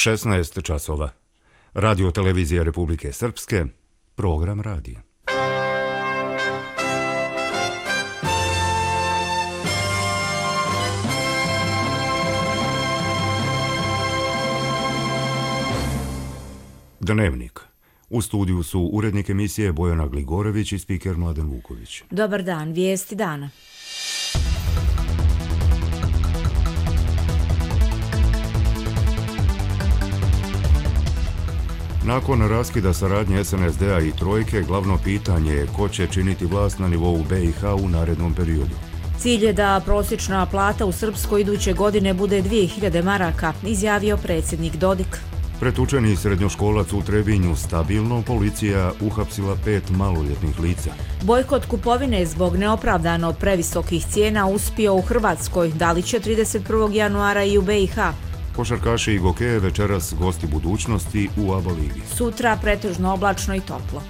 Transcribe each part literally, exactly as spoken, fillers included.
šesnaest časova. Radio televizija Republike Srpske, program radija. Dnevnik. U studiju su urednik emisije Bojana Gligorević i spiker Mladen Vuković. Dobar dan, vijesti dana. Nakon raskida saradnje es en es de a i Trojke, glavno pitanje je ko će činiti vlast na nivou be i ha u narednom periodu. Cilj je da prosječna plata u Srpskoj iduće godine bude dvije hiljade maraka, izjavio predsjednik Dodik. Pretučeni srednjoškolac u Trebinju stabilno, policija uhapsila pet maloljetnih lica. Bojkot kupovine zbog neopravdano previsokih cijena uspio u Hrvatskoj, da li će trideset prvog januara i u be i ha. Košarkaši i gokeje večeras gosti budućnosti u A B A ligi. Sutra pretežno oblačno i toplo.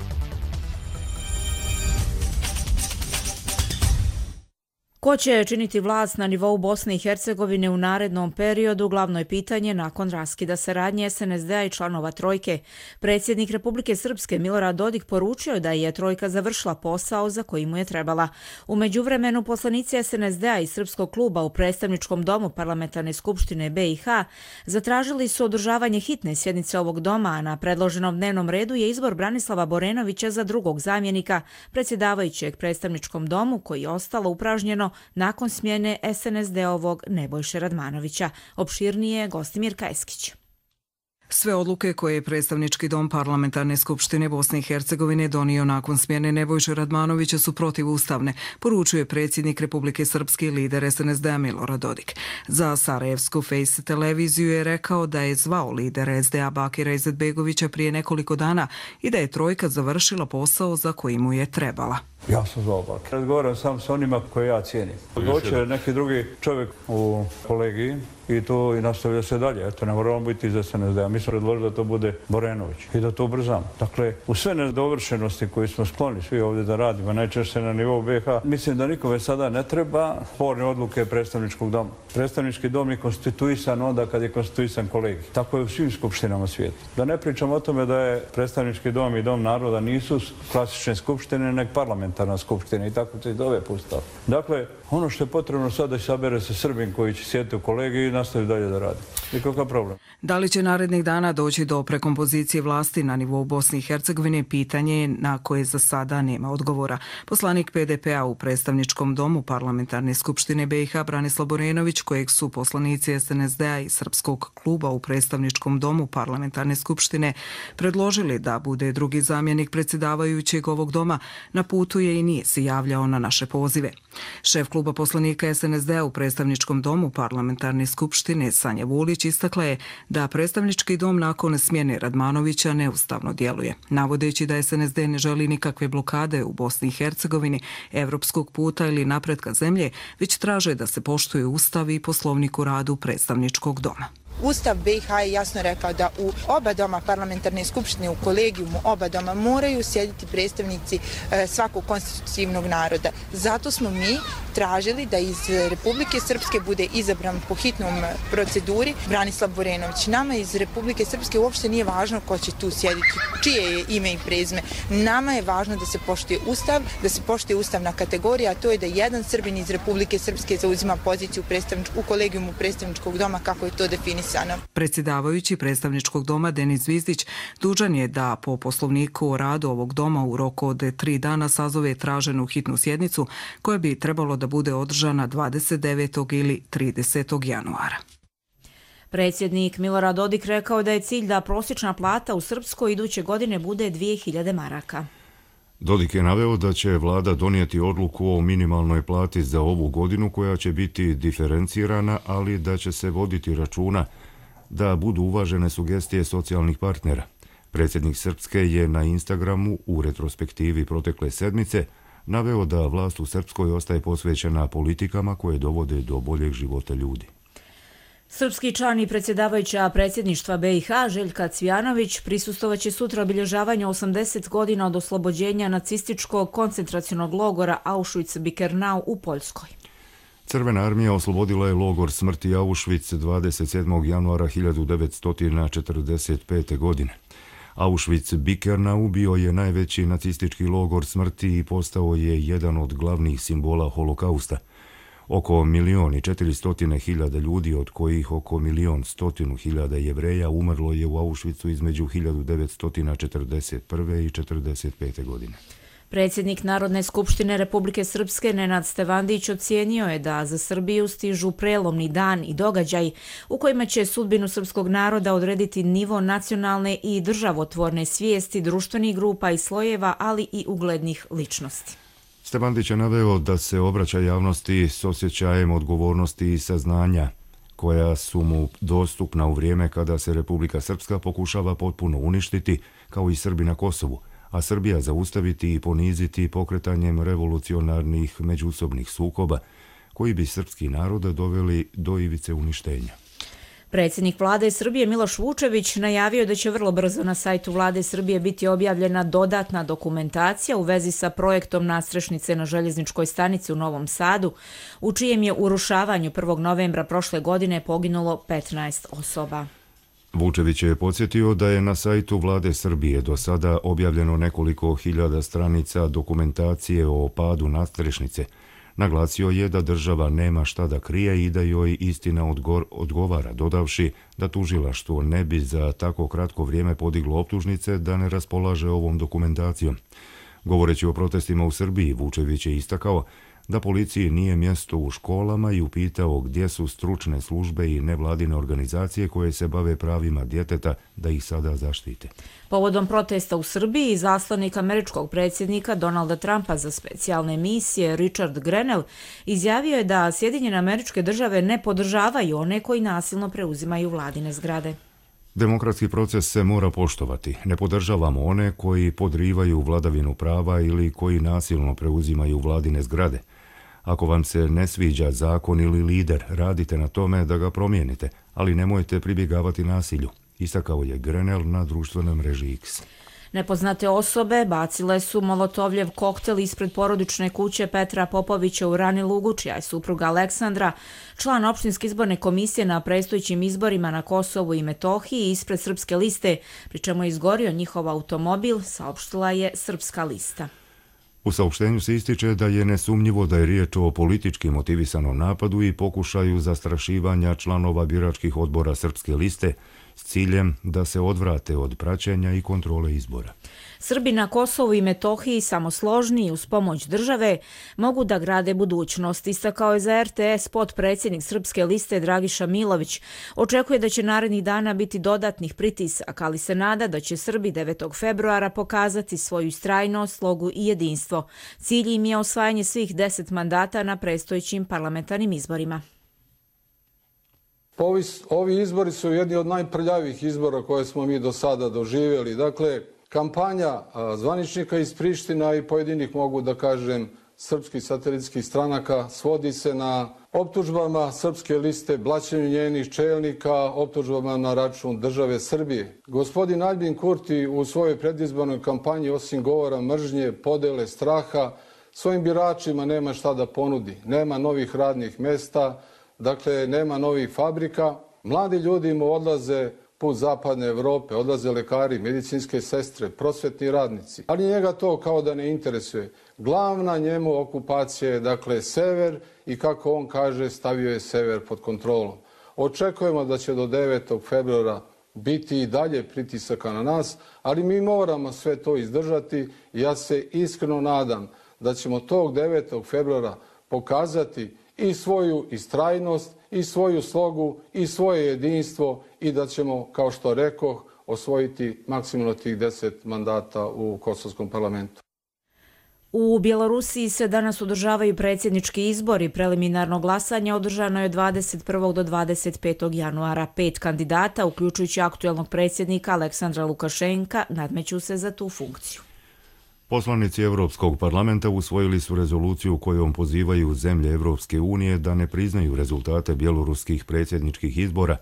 Ko će činiti vlast na nivou Bosne i Hercegovine u narednom periodu, glavno je pitanje nakon raskida saradnje es en es de a i članova Trojke. Predsjednik Republike Srpske Milorad Dodik poručio da je Trojka završila posao za koji mu je trebala. U međuvremenu poslanici es en es de a i Srpskog kluba u predstavničkom domu Parlamentarne skupštine be i ha zatražili su održavanje hitne sjednice ovog doma, a na predloženom dnevnom redu je izbor Branislava Borenovića za drugog zamjenika predsjedavajućeg predstavničkom domu, koji je ostalo upražnjeno nakon smjene es en es de ovog Nebojše Radmanovića. Opširnije Gostimir Kajskić. Sve odluke koje je predstavnički dom Parlamentarne skupštine Bosne i Hercegovine donio nakon smjene Nebojše Radmanovića su protivustavne, poručuje predsjednik Republike Srpske i lider es en es de a Milorad Dodik. Za Sarajevsku Face televiziju je rekao da je zvao lidera es de a Bakira Izetbegovića prije nekoliko dana i da je Trojka završila posao za koji mu je trebala. Ja sam zvao Bakira. Razgovaram sam s onima koje ja cijenim. Doće neki drugi čovjek u kolegiji i to i nastavlja se dalje. Eto, ne moramo biti iz es en es de a. Mi smo predložili da to bude Borenović i da to ubrzamo. Dakle, u sve nedovršenosti koje smo skloni svi ovdje da radimo, najčešće na nivou be i ha, mislim da nikome sada ne treba sporne odluke predstavničkog doma. Predstavnički dom je konstituisan onda kad je konstituisan kolegij. Tako je u svim skupštinama svijeta. Da ne pričam o tome da je predstavnički dom i dom naroda nisu klasične skupštine, nek parlamentarna skupština i tako se i dove pustao. Dakle, ono što je potrebno sada da sabere se Srbin koji će sjediti u kolegiji i nastavi dalje da radi. Nikakav problem. Da li će narednih dana doći do prekompozicije vlasti na nivou Bosne i Hercegovine, pitanje je na koje za sada nema odgovora. Poslanik pe de pe a u predstavničkom domu Parlamentarne skupštine be i ha Branislav Borenović, kojeg su poslanici es en es de a i Srpskog kluba u predstavničkom domu Parlamentarne skupštine predložili da bude drugi zamjenik predsjedavajućeg ovog doma, na putu je i nije se javljao na naše pozive. Šef kluba poslanika es en es de a u predstavničkom domu Parlamentarne skupštine Sanja Vulić istakla je da predstavnički dom nakon smjene Radmanovića neustavno djeluje, navodeći da es en es de ne želi nikakve blokade u Bosni i Hercegovini, evropskog puta ili napretka zemlje, već traže da se poštuje Ustav i Poslovnik o radu predstavničkog doma. Ustav be i ha je jasno rekao da u oba doma Parlamentarne skupštine, u kolegijumu oba doma moraju sjediti predstavnici e, svakog konstitutivnog naroda. Zato smo mi tražili da iz Republike Srpske bude izabran po hitnom proceduri Branislav Borenović. Nama iz Republike Srpske uopšte nije važno ko će tu sjediti, čije je ime i prezime. Nama je važno da se poštuje Ustav, da se poštuje ustavna kategorija, a to je da jedan Srbin iz Republike Srpske zauzima poziciju u kolegijumu predstavničkog doma kako je to definisano. Predsjedavajući predstavničkog doma Denis Zvizdić dužan je da po poslovniku o radu ovog doma u roku od tri dana sazove traženu hitnu sjednicu koja bi trebalo da bude održana dvadeset devetog ili tridesetog januara. Predsjednik Milorad Dodik rekao da je cilj da prosječna plata u Srpskoj iduće godine bude dvije hiljade maraka. Dodik je naveo da će vlada donijeti odluku o minimalnoj plati za ovu godinu koja će biti diferencirana, ali da će se voditi računa da budu uvažene sugestije socijalnih partnera. Predsjednik Srpske je na Instagramu u retrospektivi protekle sedmice naveo da vlast u Srpskoj ostaje posvećena politikama koje dovode do boljeg života ljudi. Srpski član i predsjedavajuća predsjedništva be i ha Željka Cvijanović prisustovaće sutra obilježavanju osamdeset godina od oslobođenja nacističkog koncentracionog logora Auschwitz-Birkenau u Poljskoj. Crvena armija oslobodila je logor smrti Auschwitz dvadeset sedmog januara hiljadu devetsto četrdeset pete. godine. Auschwitz-Birkenau bio je najveći nacistički logor smrti i postao je jedan od glavnih simbola holokausta. Oko milion i četiristotine hiljada ljudi, od kojih oko milion stotinu hiljada Jevreja, umrlo je u Auschwitzu između hiljadu devetsto četrdeset prve i četrdeset pete. godine. Predsjednik Narodne skupštine Republike Srpske Nenad Stevandić ocijenio je da za Srbiju stižu prelomni dan i događaj u kojima će sudbinu srpskog naroda odrediti nivo nacionalne i državotvorne svijesti društvenih grupa i slojeva, ali i uglednih ličnosti. Stevandić je naveo da se obraća javnosti s osjećajem odgovornosti i saznanja koja su mu dostupna u vrijeme kada se Republika Srpska pokušava potpuno uništiti, kao i Srbi na Kosovu, a Srbija zaustaviti i poniziti pokretanjem revolucionarnih međusobnih sukoba koji bi srpski narod doveli do ivice uništenja. Predsjednik vlade Srbije Miloš Vučević najavio da će vrlo brzo na sajtu vlade Srbije biti objavljena dodatna dokumentacija u vezi sa projektom nadstrešnice na željezničkoj stanici u Novom Sadu, u čijem je urušavanju prvog novembra prošle godine poginulo petnaest osoba. Vučević je podsjetio da je na sajtu vlade Srbije do sada objavljeno nekoliko hiljada stranica dokumentacije o padu nadstrešnice. Naglasio je da država nema šta da krije i da joj istina odgor, odgovara, dodavši da tužilaštvo ne bi za tako kratko vrijeme podiglo optužnice da ne raspolaže ovom dokumentacijom. Govoreći o protestima u Srbiji, Vučević je istakao da policiji nije mjesto u školama i upitao gdje su stručne službe i nevladine organizacije koje se bave pravima djeteta da ih sada zaštite. Povodom protesta u Srbiji, izaslanik američkog predsjednika Donalda Trumpa za specijalne misije Richard Grenell izjavio je da Sjedinjene Američke Države ne podržavaju one koji nasilno preuzimaju vladine zgrade. Demokratski proces se mora poštovati. Ne podržavamo one koji podrivaju vladavinu prava ili koji nasilno preuzimaju vladine zgrade. Ako vam se ne sviđa zakon ili lider, radite na tome da ga promijenite, ali nemojte pribjegavati nasilju, istakao je Grenell na društvenoj mreži X. Nepoznate osobe bacile su molotovljev koktel ispred porodične kuće Petra Popovića u Rani Lugu, čija je supruga Aleksandra, član opštinske izborne komisije na predstojećim izborima na Kosovu i Metohiji, ispred Srpske liste, pri čemu je izgorio njihov automobil, saopštila je Srpska lista. U saopštenju se ističe da je nesumnjivo da je riječ o politički motivisanom napadu i pokušaju zastrašivanja članova biračkih odbora Srpske liste s ciljem da se odvrate od praćenja i kontrole izbora. Srbi na Kosovu i Metohiji samosložni i uz pomoć države mogu da grade budućnost, istakao je za er te es potpredsjednik Srpske liste Dragiša Milović. Očekuje da će narednih dana biti dodatnih pritisaka, ali se nada da će Srbi devetog februara pokazati svoju istrajnost, slogu i jedinstvo. Cilj im je osvajanje svih deset mandata na predstojećim parlamentarnim izborima. Ovi, ovi izbori su jedni od najprljavih izbora koje smo mi do sada doživjeli. Dakle, kampanja zvaničnika iz Priština i pojedinih, mogu da kažem, srpskih satelitskih stranaka svodi se na optužbama Srpske liste, blaćenju njenih čelnika, optužbama na račun države Srbije. Gospodin Aljbin Kurti u svojoj predizbornoj kampanji, osim govora mržnje, podele, straha, svojim biračima nema šta da ponudi. Nema novih radnih mesta, dakle, nema novih fabrika. Mladi ljudi mu odlaze put zapadne Evrope, odlaze lekari, medicinske sestre, prosvetni radnici. Ali njega to kao da ne interesuje. Glavna njemu okupacija je, dakle, sever i, kako on kaže, stavio je sever pod kontrolom. Očekujemo da će do devetog februara biti i dalje pritisaka na nas, ali mi moramo sve to izdržati i ja se iskreno nadam da ćemo tog devetog februara pokazati i svoju istrajnost, i svoju slogu, i svoje jedinstvo i da ćemo, kao što rekoh, osvojiti maksimalno tih deset mandata u Kosovskom parlamentu. U Bjelorusiji se danas održavaju predsjednički izbori. Preliminarno glasanje održano je dvadeset prvog do dvadeset petog januara. Pet kandidata, uključujući aktuelnog predsjednika Aleksandra Lukašenka, nadmeću se za tu funkciju. Poslanici Evropskog parlamenta usvojili su rezoluciju kojom pozivaju zemlje Evropske unije da ne priznaju rezultate bjeloruskih predsjedničkih izbora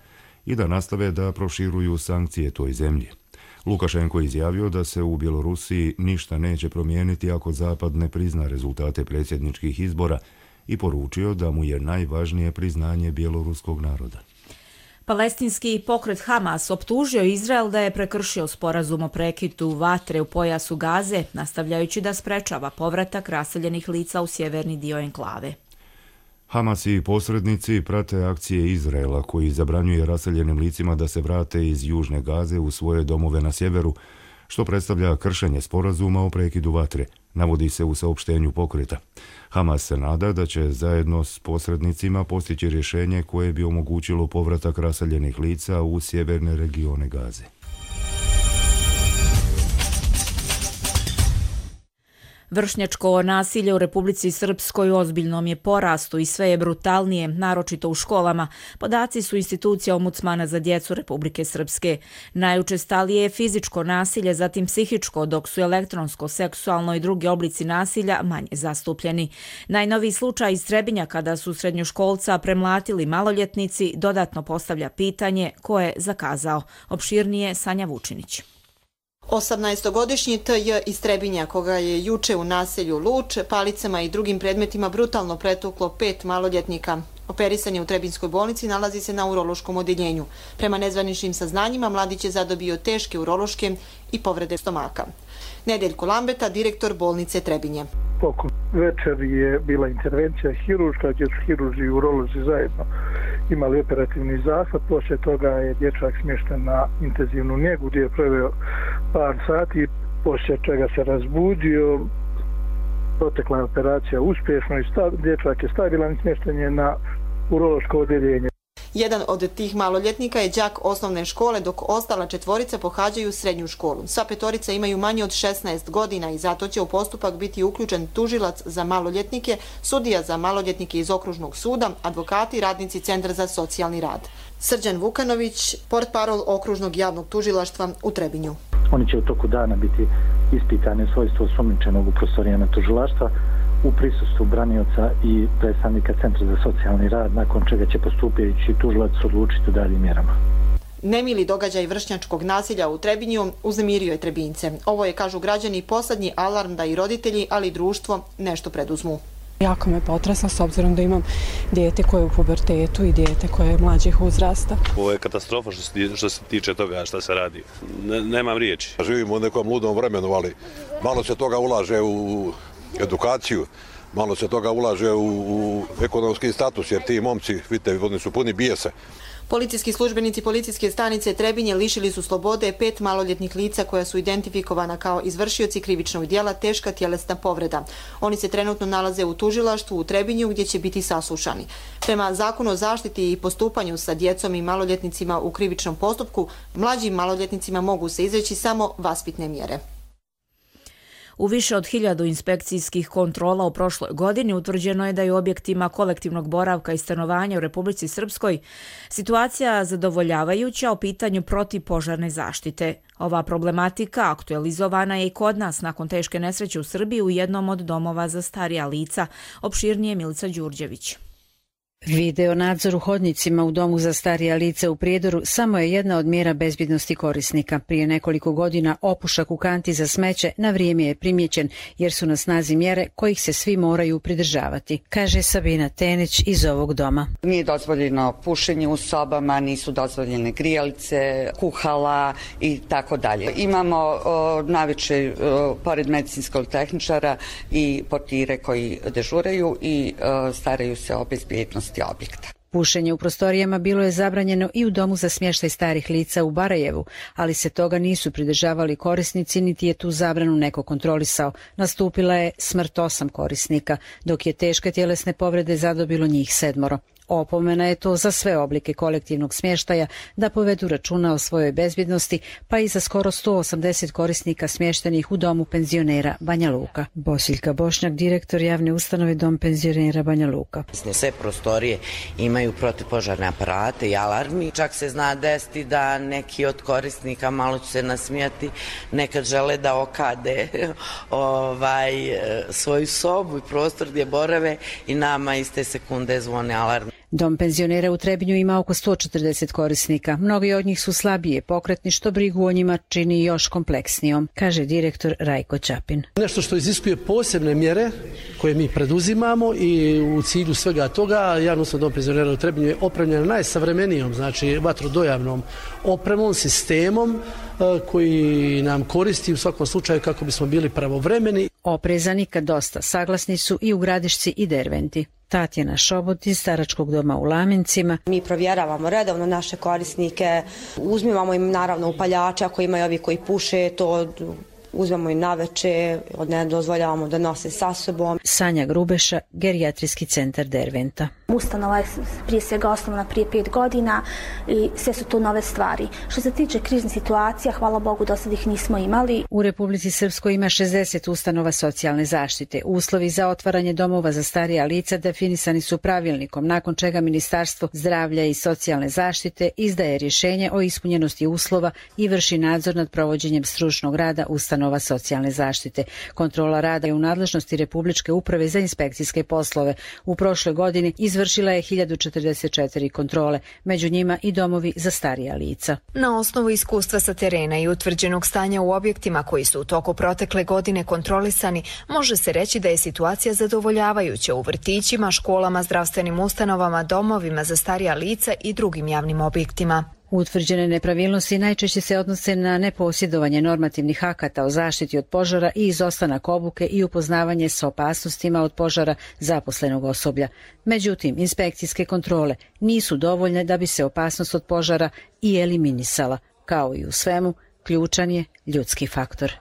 i da nastave da proširuju sankcije toj zemlji. Lukašenko je izjavio da se u Bjelorusiji ništa neće promijeniti ako Zapad ne prizna rezultate predsjedničkih izbora i poručio da mu je najvažnije priznanje bjeloruskog naroda. Palestinski pokret Hamas optužio Izrael da je prekršio sporazum o prekidu vatre u pojasu Gaze, nastavljajući da sprečava povratak raseljenih lica u sjeverni dio enklave. Hamas i posrednici prate akcije Izraela koji zabranjuje raseljenim licima da se vrate iz južne Gaze u svoje domove na sjeveru, što predstavlja kršenje sporazuma o prekidu vatre, navodi se u saopštenju pokreta. Hamas se nada da će zajedno s posrednicima postići rješenje koje bi omogućilo povratak raseljenih lica u sjeverne regione Gaze. Vršnjačko nasilje u Republici Srpskoj ozbiljnom je porastu i sve je brutalnije, naročito u školama. Podaci su institucija Ombudsmana za djecu Republike Srpske. Najučestalije je fizičko nasilje, zatim psihičko, dok su elektronsko, seksualno i drugi oblici nasilja manje zastupljeni. Najnoviji slučaj iz Trebinja kada su srednjoškolca premlatili maloljetnici dodatno postavlja pitanje ko je zakazao. Opširnije Sanja Vučinić. osamnaestogodišnji T J iz Trebinja, koga je juče u naselju Luč palicama i drugim predmetima brutalno pretuklo pet maloljetnika. Operisan je u Trebinskoj bolnici, nalazi se na urološkom odjeljenju. Prema nezvaničnim saznanjima, mladić je zadobio teške urološke i povrede stomaka. Nedeljko Lambeta, direktor bolnice Trebinje. Oko večer je bila intervencija hiruška, gdje su hiruži i urolozi zajedno imali operativni zahvat. Poslije toga je dječak smješten na intenzivnu njegu gdje je proveo par sati, poslije čega se razbudio. Protekla je operacija uspješno i stav, dječak je stabilan, smješten je na urološko odjeljenje. Jedan od tih maloljetnika je đak osnovne škole, dok ostala četvorica pohađaju srednju školu. Sva petorica imaju manje od šesnaest godina i zato će u postupak biti uključen tužilac za maloljetnike, sudija za maloljetnike iz okružnog suda, advokati i radnici Centra za socijalni rad. Srđan Vukanović, portparol okružnog javnog tužilaštva u Trebinju. Oni će u toku dana biti ispitani u svojstvu osumnjičenog u prostorijama tužilaštva u prisustvu branioca i predstavnika Centra za socijalni rad, nakon čega će postupajući tužilac odlučiti o daljim mjerama. Nemili događaj vršnjačkog nasilja u Trebinju uznemirio je Trebinjce. Ovo je, kažu građani, posljednji alarm da i roditelji, ali i društvo nešto preduzmu. Jako me potresa s obzirom da imam dijete koje je u pubertetu i dijete koje je mlađih uzrasta. Ovo je katastrofa što se, što se tiče toga šta se radi. Ne, nemam riječi. Živimo u nekom ludom vremenu, ali malo se toga ulaže u edukaciju, malo se toga ulaže u, u ekonomski status, jer ti momci, vidite, oni su puni bijesa. Policijski službenici policijske stanice Trebinje lišili su slobode pet maloljetnih lica koja su identifikovana kao izvršioci krivičnog djela teška tjelesna povreda. Oni se trenutno nalaze u tužilaštvu u Trebinju gdje će biti saslušani. Prema Zakonu o zaštiti i postupanju sa djecom i maloljetnicima u krivičnom postupku, mlađim maloljetnicima mogu se izreći samo vaspitne mjere. U više od hiljadu inspekcijskih kontrola u prošloj godini utvrđeno je da je u objektima kolektivnog boravka i stanovanja u Republici Srpskoj situacija zadovoljavajuća o pitanju protivpožarne zaštite. Ova problematika aktualizovana je i kod nas nakon teške nesreće u Srbiji u jednom od domova za starija lica. Opširnije Milica Đurđević. Video nadzor u hodnicima u domu za starija lica u Prijedoru samo je jedna od mjera bezbjednosti korisnika. Prije nekoliko godina opušak u kanti za smeće na vrijeme je primjećen jer su na snazi mjere kojih se svi moraju pridržavati, kaže Sabina Tenić iz ovog doma. Nije dozvoljeno pušenje u sobama, nisu dozvoljene grijalice, kuhala i tako dalje. Imamo naviče pored medicinskog tehničara i portire koji dežuraju i o, staraju se o bezbjednosti objekta. Pušenje u prostorijama bilo je zabranjeno i u domu za smještaj starih lica u Barajevu, ali se toga nisu pridržavali korisnici niti je tu zabranu neko kontrolisao. Nastupila je smrt osam korisnika, dok je teške tjelesne povrede zadobilo njih sedmoro. Opomena je to za sve oblike kolektivnog smještaja da povedu računa o svojoj bezbjednosti, pa i za skoro sto osamdeset korisnika smještenih u domu penzionera Banja Luka. Bosiljka Bošnjak, direktor javne ustanove Dom penzionera Banja Luka. Sve prostorije imaju protivpožarne aparate i alarmi. Čak se zna desiti da neki od korisnika, malo ću se nasmijati, nekad žele da okade ovaj, svoju sobu i prostor gdje borave i nama iste sekunde zvone alarm. Dom penzionera u Trebinju ima oko sto četrdeset korisnika. Mnogi od njih su slabije pokretni, što brigu o njima čini još kompleksnijom, kaže direktor Rajko Ćapin. Nešto što iziskuje posebne mjere koje mi preduzimamo i u cilju svega toga, javno dom penzionera u Trebinju je opremljen najsavremenijom, znači vatrodojavnom opremom, sistemom koji nam koristi u svakom slučaju kako bismo bili pravovremeni. Oprezani kad dosta saglasni su i u Gradišci i Derventi. Tatjana Šobot iz staračkog doma u Lamincima. Mi provjeravamo redovno naše korisnike, uzmimo im naravno upaljače ako imaju ovi koji puše, to uzmemo im naveče, ne dozvoljavamo da nose sa sobom. Sanja Grubeša, gerijatrijski centar Derventa. Ustanova je prije svega osnovna prije pet godina i sve su to nove stvari. Što se tiče kriznih situacija, hvala Bogu do sad ih nismo imali. U Republici Srpskoj ima šezdeset ustanova socijalne zaštite. Uslovi za otvaranje domova za starija lica definisani su pravilnikom, nakon čega Ministarstvo zdravlja i socijalne zaštite izdaje rješenje o ispunjenosti uslova i vrši nadzor nad provođenjem stručnog rada ustanova socijalne zaštite. Kontrola rada je u nadležnosti Republičke uprave za inspekcijske poslove. U prošloj godini izvršila je hiljadu četrdeset četiri kontrole, među njima i domovi za starija lica. Na osnovu iskustva sa terena i utvrđenog stanja u objektima koji su u toku protekle godine kontrolisani, može se reći da je situacija zadovoljavajuća u vrtićima, školama, zdravstvenim ustanovama, domovima za starija lica i drugim javnim objektima. Utvrđene nepravilnosti najčešće se odnose na neposjedovanje normativnih akata o zaštiti od požara i izostanak obuke i upoznavanje s opasnostima od požara zaposlenog osoblja. Međutim, inspekcijske kontrole nisu dovoljne da bi se opasnost od požara i eliminisala. Kao i u svemu, ključan je ljudski faktor.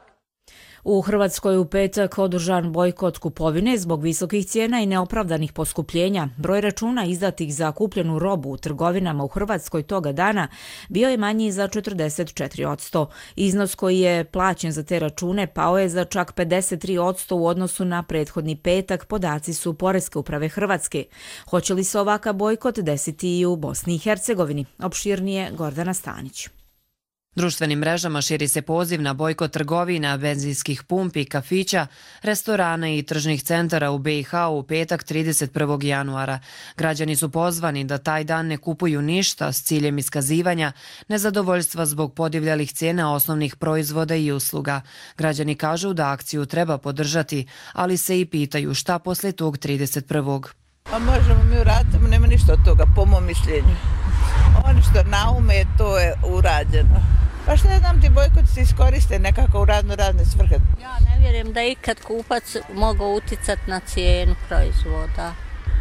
U Hrvatskoj u petak održan bojkot kupovine zbog visokih cijena i neopravdanih poskupljenja. Broj računa izdatih za kupljenu robu u trgovinama u Hrvatskoj toga dana bio je manji za četrdeset četiri posto. Iznos koji je plaćen za te račune pao je za čak pedeset tri posto u odnosu na prethodni petak, podaci su Poreske uprave Hrvatske. Hoće li se ovakav bojkot desiti i u Bosni i Hercegovini? Opširnije Gordana Stanić. Društvenim mrežama širi se poziv na bojkot trgovina, benzinskih pumpi, kafića, restorana i tržnih centara u B i H u petak trideset prvog januara. Građani su pozvani da taj dan ne kupuju ništa s ciljem iskazivanja nezadovoljstva zbog podivljalih cijena osnovnih proizvoda i usluga. Građani kažu da akciju treba podržati, ali se i pitaju šta posle tog trideset prvog. Pa možemo mi uraditi, nema ništa od toga, po mom mišljenju. Ono što naume, to je urađeno. Pa što znam, ti bojkoti se iskoriste nekako u razno razne svrhe. Ja ne vjerujem da je ikad kupac mogao uticati na cijenu proizvoda.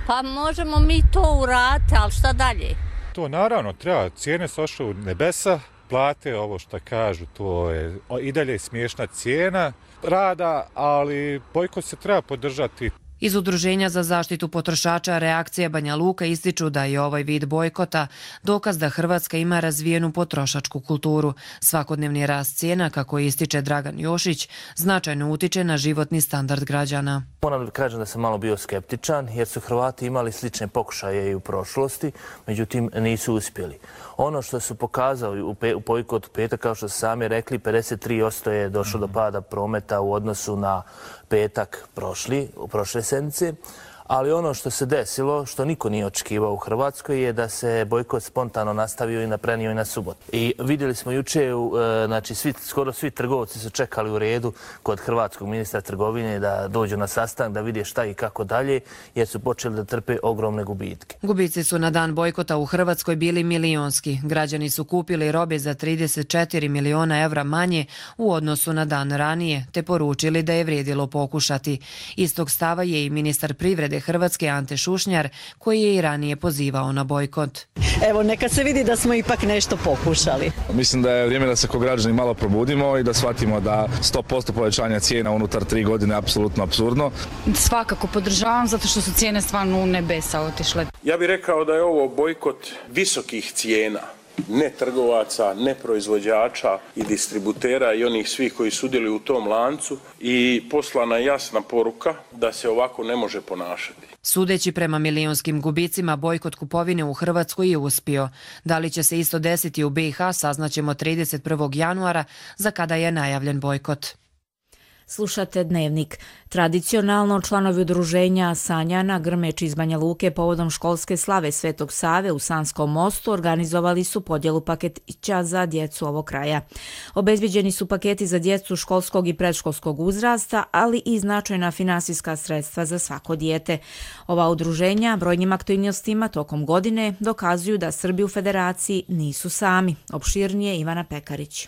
Pa možemo mi to uraditi, ali šta dalje? To naravno treba, cijene su ošle u nebesa, plate, ovo što kažu, to je i dalje smiješna cijena rada, ali bojkot se treba podržati. Iz Udruženja za zaštitu potrošača Reakcija Banja Luka ističu da je ovaj vid bojkota dokaz da Hrvatska ima razvijenu potrošačku kulturu. Svakodnevni rast cijena, kako ističe Dragan Jošić, značajno utiče na životni standard građana. Moram da kažem da sam malo bio skeptičan jer su Hrvati imali slične pokušaje i u prošlosti, međutim nisu uspjeli. Ono što su pokazali u, pe, u bojkotu petak, kao što su sami rekli, pedeset tri posto je došlo do pada prometa u odnosu na petak prošli, u prošle sedmice. Ali ono što se desilo, što niko nije očekivao u Hrvatskoj, je da se bojkot spontano nastavio i naprenio i na subotu. I vidjeli smo juče, znači svi, skoro svi trgovci su čekali u redu kod hrvatskog ministra trgovine da dođu na sastanak, da vide šta i kako dalje, jer su počeli da trpe ogromne gubitke. Gubici su na dan bojkota u Hrvatskoj bili milionski. Građani su kupili robe za trideset četiri miliona evra manje u odnosu na dan ranije, te poručili da je vrijedilo pokušati. Istog stava je i ministar privrede Hrvatske Ante Šušnjar, koji je i ranije pozivao na bojkot. Evo, neka se vidi da smo ipak nešto pokušali. Mislim da je vrijeme da se kao građani malo probudimo i da shvatimo da sto posto povećanja cijena unutar tri godine je apsolutno apsurdno. Svakako podržavam, zato što su cijene stvarno u nebesa otišle. Ja bih rekao da je ovo bojkot visokih cijena. Ne trgovaca, ne proizvođača i distributera i onih svih koji sudjeluju u tom lancu i poslana jasna poruka da se ovako ne može ponašati. Sudeći prema milionskim gubicima, bojkot kupovine u Hrvatskoj je uspio. Da li će se isto desiti u B i H saznaćemo trideset prvog januara, za kada je najavljen bojkot. Slušate Dnevnik. Tradicionalno članovi udruženja Sanjana Grmeč iz Banja Luke povodom školske slave Svetog Save u Sanskom mostu organizovali su podjelu paketića za djecu ovog kraja. Obezbeđeni su paketi za djecu školskog i predškolskog uzrasta, ali i značajna finansijska sredstva za svako dijete. Ova udruženja brojnim aktivnostima tokom godine dokazuju da Srbi u Federaciji nisu sami. Opširnije Ivana Pekarić.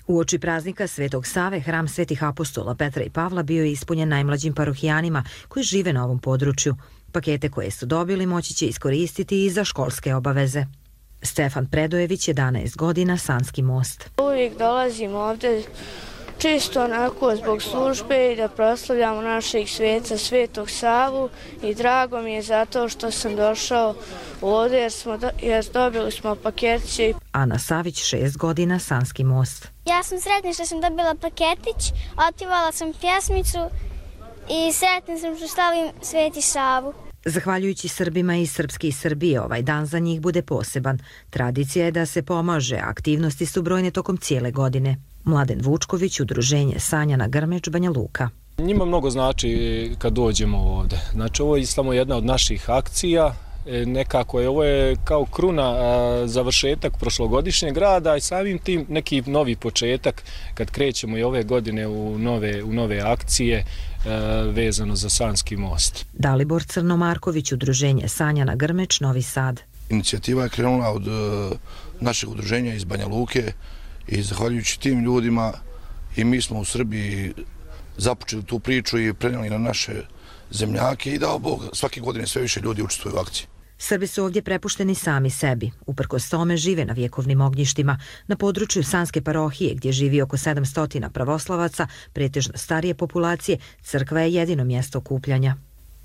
Uoči praznika Svetog Save, hram Svetih apostola Petra i Pavla bio je ispunjen najmlađim parohijanima koji žive na ovom području. Pakete koje su dobili moći će iskoristiti i za školske obaveze. Stefan Predojević, jedanaest godina, Sanski most. Uvijek dolazimo ovdje čisto onako zbog službe i da proslavljamo našeg sveca Svetog Savu i drago mi je zato što sam došao ovdje jer, smo do, jer dobili smo paketiće. Ana Savić, šest godina, Sanski most. Ja sam sretna što sam dobila paketić, otpjevala sam pjesmicu i sretna sam što slavim Sveti Savu. Zahvaljujući Srbima i Srpski iz Srbije, ovaj dan za njih bude poseban. Tradicija je da se pomaže, aktivnosti su brojne tokom cijele godine. Mladen Vučković, udruženje Sanjana Grmeč, Banja Luka. Njima mnogo znači kad dođemo ovdje. Znači ovo je samo jedna od naših akcija. Nekako je ovo je kao kruna završetak prošlogodišnjeg rada i samim tim neki novi početak kad krećemo i ove godine u nove, u nove akcije vezano za Sanski most. Dalibor Crnomarković, udruženje Sanjana Grmeč, Novi Sad. Inicijativa je krenula od našeg udruženja iz Banja Luke i zahvaljujući tim ljudima i mi smo u Srbiji započeli tu priču i prenijeli na naše zemljake i dao Bog, svake godine sve više ljudi učestvuju u akciji. Srbi su ovdje prepušteni sami sebi. Uprkos tome žive na vjekovnim ognjištima. Na području Sanske parohije, gdje živi oko sedamsto pravoslavaca, pretežno starije populacije, crkva je jedino mjesto okupljanja.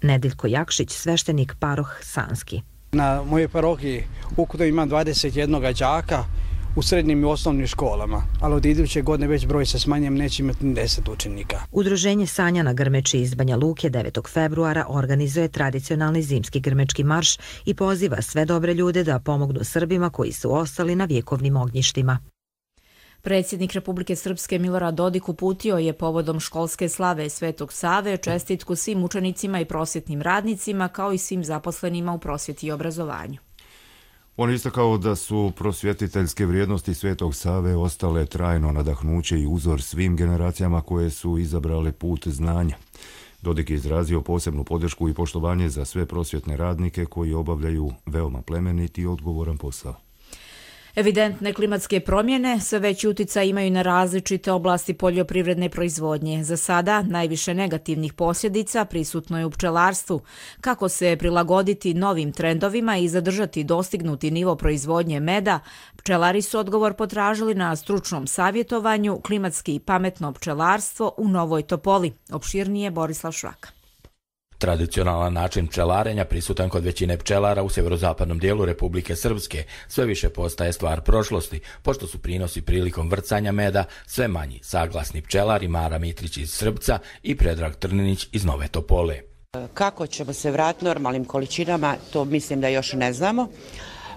Nedeljko Jakšić, sveštenik paroh Sanski. Na mojoj parohiji ukupno imam dvadeset jedan đaka u srednjim i osnovnim školama, ali od iduće godine već broj se smanjem, neće imati ni deset učenika. Udruženje Sanjana Grmeči iz Banja Luke devetog februara organizuje tradicionalni zimski grmečki marš i poziva sve dobre ljude da pomognu Srbima koji su ostali na vjekovnim ognjištima. Predsjednik Republike Srpske Milorad Dodik uputio je povodom školske slave Svetog Save čestitku svim učenicima i prosvjetnim radnicima kao i svim zaposlenima u prosvjeti i obrazovanju. On je istakao da su prosvjetiteljske vrijednosti Svetog Save ostale trajno nadahnuće i uzor svim generacijama koje su izabrale put znanja. Dodik je izrazio posebnu podršku i poštovanje za sve prosvjetne radnike koji obavljaju veoma plemenit i odgovoran posao. Evidentne klimatske promjene sve veći uticaj imaju na različite oblasti poljoprivredne proizvodnje. Za sada najviše negativnih posljedica prisutno je u pčelarstvu. Kako se prilagoditi novim trendovima i zadržati dostignuti nivo proizvodnje meda, pčelari su odgovor potražili na stručnom savjetovanju Klimatski i pametno pčelarstvo u Novoj Topoli. Opširnije Borislav Švaka. Tradicionalan način pčelarenja prisutan kod većine pčelara u sjeverozapadnom dijelu Republike Srpske sve više postaje stvar prošlosti, pošto su prinosi prilikom vrcanja meda sve manji, saglasni pčelari Mara Mitrić iz Srbca i Predrag Trninić iz Nove Topole. Kako ćemo se vratiti normalnim količinama, to mislim da još ne znamo.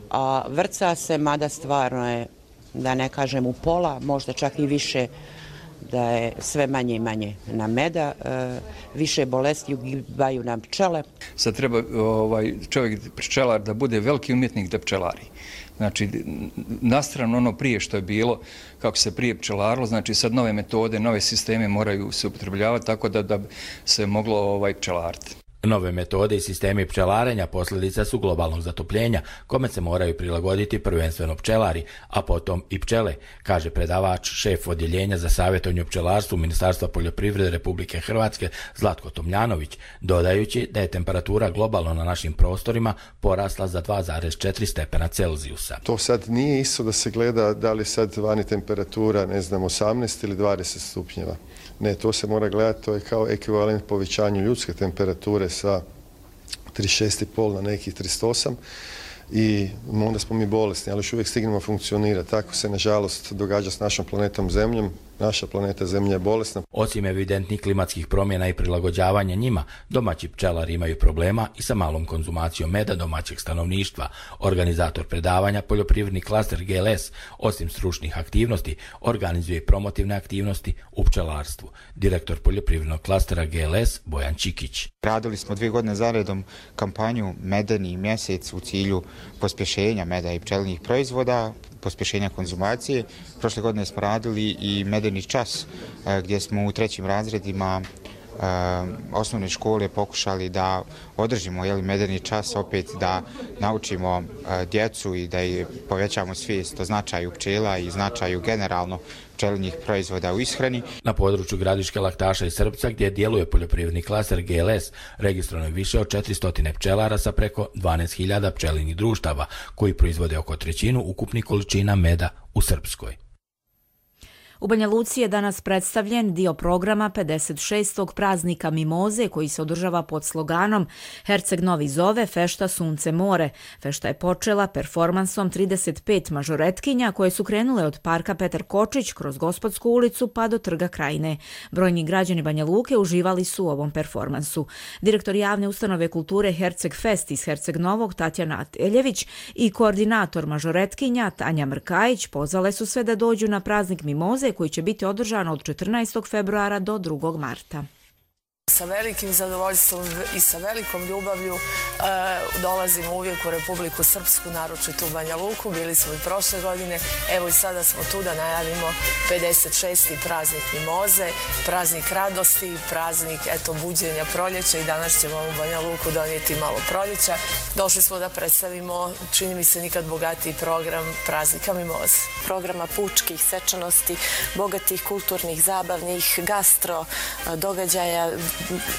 A vrca se, mada stvarno je, da ne kažem u pola, možda čak i više, da je sve manje i manje na meda, e, više bolesti ugibaju nam pčele. Sad treba ovaj, čovjek, pčelar, da bude veliki umjetnik da pčelari. Znači, nastrano ono prije što je bilo, kako se prije pčelarilo, znači sad nove metode, nove sisteme moraju se upotrebljavati tako da, da se moglo ovaj, pčelariti. Nove metode i sistemi pčelarenja posljedica su globalnog zatopljenja, kome se moraju prilagoditi prvenstveno pčelari, a potom i pčele, kaže predavač, šef odjeljenja za savjetovanje o pčelarstvu Ministarstva poljoprivrede Republike Hrvatske Zlatko Tomljanović, dodajući da je temperatura globalno na našim prostorima porasla za dva zarez četiri stepena Celzijusa. To sad nije isto da se gleda da li sad vani temperatura, ne znam, osamnaest ili dvadeset stupnjeva. Ne, to se mora gledati, to je kao ekvivalent povećanju ljudske temperature sa trideset šest zarez pet na nekih trideset osam i onda smo mi bolesni, ali još uvijek stignemo funkcionirati. Tako se nažalost događa s našom planetom Zemljom. naša planeta Zemlja je bolesna. Osim evidentnih klimatskih promjena i prilagođavanja njima, domaći pčelari imaju problema i sa malom konzumacijom meda domaćeg stanovništva. Organizator predavanja, poljoprivredni klaster G L S, osim stručnih aktivnosti, organizuje i promotivne aktivnosti u pčelarstvu. Direktor poljoprivrednog klastera G L S Bojan Čikić. Radili smo dvije godine zaredom kampanju Medeni mjesec u cilju pospješenja meda i pčelinjih proizvoda, pospješenja konzumacije. Prošle godine smo radili i medeni čas gdje smo u trećim razredima osnovne škole pokušali da održimo jeli, medeni čas, opet da naučimo djecu i da povećamo svijest o značaju pčela i značaju generalno pčelinjih proizvoda u ishrani. Na području Gradiške, Laktaša i Srpca, gdje djeluje poljoprivredni klaster G L S, registrovano je više od četiristo pčelara sa preko dvanaest hiljada pčelinjih društava, koji proizvode oko trećinu ukupnih količina meda u Srpskoj. U Banja Luci je danas predstavljen dio programa pedeset šestog praznika Mimoze koji se održava pod sloganom Herceg Novi zove, fešta sunce more. Fešta je počela performansom trideset pet mažoretkinja koje su krenule od parka Petar Kočić kroz Gospodsku ulicu pa do Trga Krajine. Brojni građani Banja Luke uživali su u ovom performansu. Direktor javne ustanove kulture Herceg Fest iz Herceg Novog Tatjana Eljević i koordinator mažoretkinja Tanja Mrkajić pozvale su sve da dođu na praznik Mimoze koji će biti održan od četrnaestog februara do drugog marta. Sa velikim zadovoljstvom i sa velikom ljubavlju e, dolazimo uvijek u Republiku Srpsku, naročito u Banja Luku. Bili smo i prošle godine, evo i sada smo tu da najavimo pedeset šesti praznik Mimoze, praznik radosti, praznik eto, buđenja proljeća i danas ćemo u Banja Luku donijeti malo proljeća. Došli smo da predstavimo, čini mi se nikad bogatiji program praznika Mimoze. Programa pučkih, svečanosti, bogatih, kulturnih, zabavnih, gastro, događaja,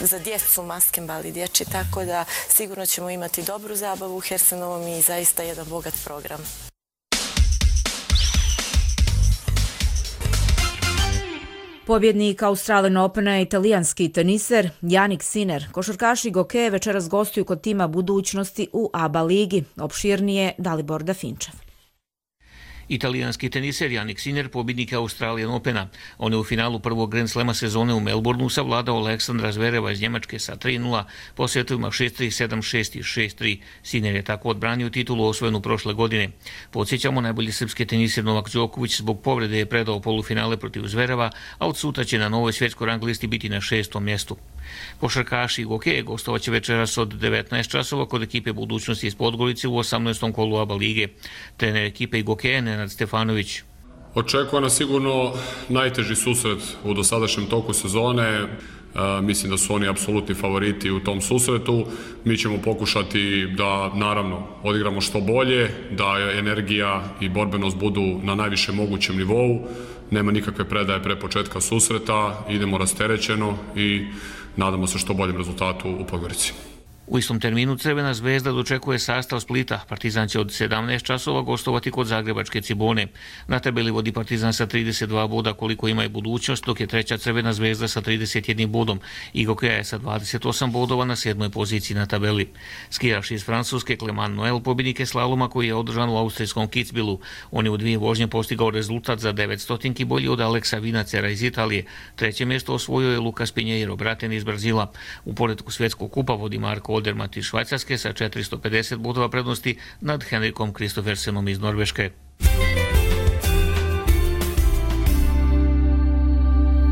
za djecu, maskembal i dječji, tako da sigurno ćemo imati dobru zabavu u Hersenovom i zaista jedan bogat program. Pobjednik Australian Opena je italijanski teniser Jannik Sinner. Košarkaši Gokeje večeras gostuju kod tima budućnosti u A B A ligi. Opširnije Dalibor Dafinčev. Italijanski teniser Jannik Sinner, pobjednik Australian Opena. On je u finalu prvog Grand Slema sezone u Melbourneu savladao Aleksandra Zvereva iz Njemačke sa tri nula, po setovima šest tri, sedam šest i šest tri. Sinner je tako odbranio titulu osvojenu prošle godine. Podsjećamo, najbolji srpski teniser Novak Đoković zbog povrede je predao polufinale protiv Zvereva, a od sutra će na novoj svjetskoj rang listi biti na šestom mjestu. Košarkaši Gokeje gostovaće večeras od devetnaest časova kod ekipe budućnosti iz Podgorice u osamnaestom kolu A B A lige. Trener ekipe Gokeje Nenad Stefanović. Očekuje nas sigurno najteži susret u dosadašnjem toku sezone. E, mislim da su oni apsolutni favoriti u tom susretu. Mi ćemo pokušati da naravno odigramo što bolje, da energija i borbenost budu na najvišem mogućem nivou. Nema nikakve predaje pre početka susreta, idemo rasterećeno i nadamo se što boljem rezultatu u Podgorici. U istom terminu Crvena zvezda dočekuje sastav Splita. Partizan će od sedamnaest časova gostovati kod Zagrebačke Cibone. Na tabeli vodi Partizan sa trideset dva boda koliko ima i budućnost, dok je treća Crvena zvezda sa trideset jedan bodom. I Gokeja je sa dvadeset osam bodova na sedmoj poziciji na tabeli. Skijaš iz Francuske Clement Noel pobjednik je slaloma koji je održan u austrijskom Kitzbühelu. On je u dvije vožnje postigao rezultat za devet stotinki bolji od Aleksa Vinacera iz Italije. Treće mjesto osvojio je Lucas Pinheiro, braten iz Brazila. U poretku svjetskog kupa vodi Marko Odermatt iz Švajcarske sa četiristo pedeset bodova prednosti nad Henrikom Kristoffersenom iz Norveške.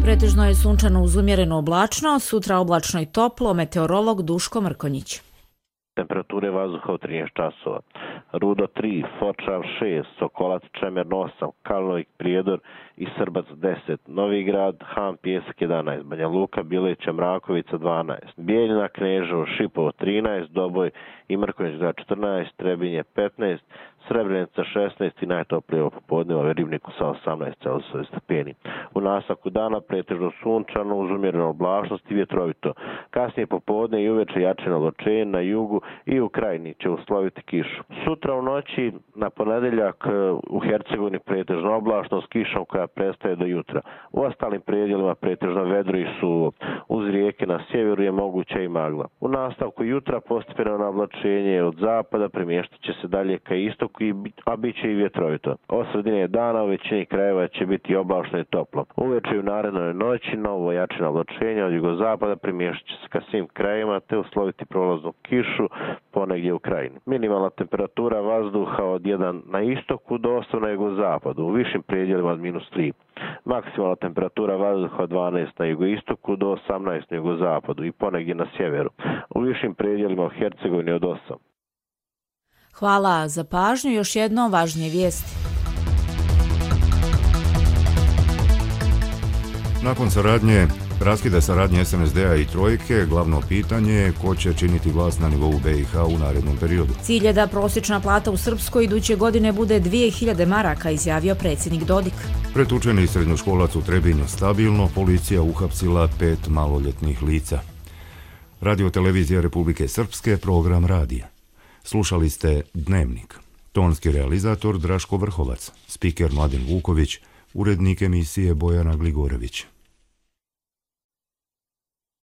Pretežno je sunčano uz umjereno oblačno, sutra oblačno i toplo, meteorolog Duško Mrkonjić. Temperature vazduha u trinaest časova. Rudo tri, Foča šest, Sokolac Čemer osam, Kalnovik Prijedor i Srbac deset, Novi Grad, Han Pjesak jedanaest, Banja Luka, Bileća, Mrakovica dvanaest, Bijeljina, Kneževo, Šipovo trinaest, Doboj i Mrkonjić grad četrnaest, Trebinje petnaest, Srebrenica šesnaest i najtoplije popodne u Ribniku sa osamnaest stepeni. U nastavku dana pretežno sunčano uz umjerenu oblačnost i vjetrovito. Kasnije popodne i uveče jačino oblačenje na jugu i u Krajini će usloviti kišu. Sutra u noći na ponedeljak u Hercegovini pretežno oblačno s kišom koja prestaje do jutra. U ostalim predjelima pretežno vedro i suvo. Uz rijeke na sjeveru je moguća i magla. U nastavku jutra postepeno navlačenje od zapada premještat će se dalje ka istoku a bit će i vjetrovito. Od sredine dana u većini krajeva će biti oblačno i toplo. Uveče i u narednoj noći novo jačina oblačenja od jugozapada primješat će se ka svim krajevima te usloviti prolaznu kišu ponegdje u krajini. Minimalna temperatura vazduha od jedan na istoku do osam na jugozapadu, u višim predjelima od minus tri. Maksimalna temperatura vazduha od dvanaest na jugoistoku do osamnaest na jugozapadu i ponegdje na sjeveru, u višim predjelima u Hercegovini od osam. Hvala za pažnju. Još jedno važnije vijesti. Nakon saradnje, raskida saradnje S N S D-a i Trojke, glavno pitanje je ko će činiti vlast na nivou B i H u narednom periodu. Cilj je da prosječna plata u Srpskoj iduće godine bude dvije hiljade maraka, izjavio predsjednik Dodik. Pretučeni srednjoškolac u Trebinju stabilno, policija uhapsila pet maloljetnih lica. Radio televizija Republike Srpske, program radija. Slušali ste Dnevnik. Tonski realizator Draško Vrhovac, spiker Mladen Vuković, urednik emisije Bojana Gligorević.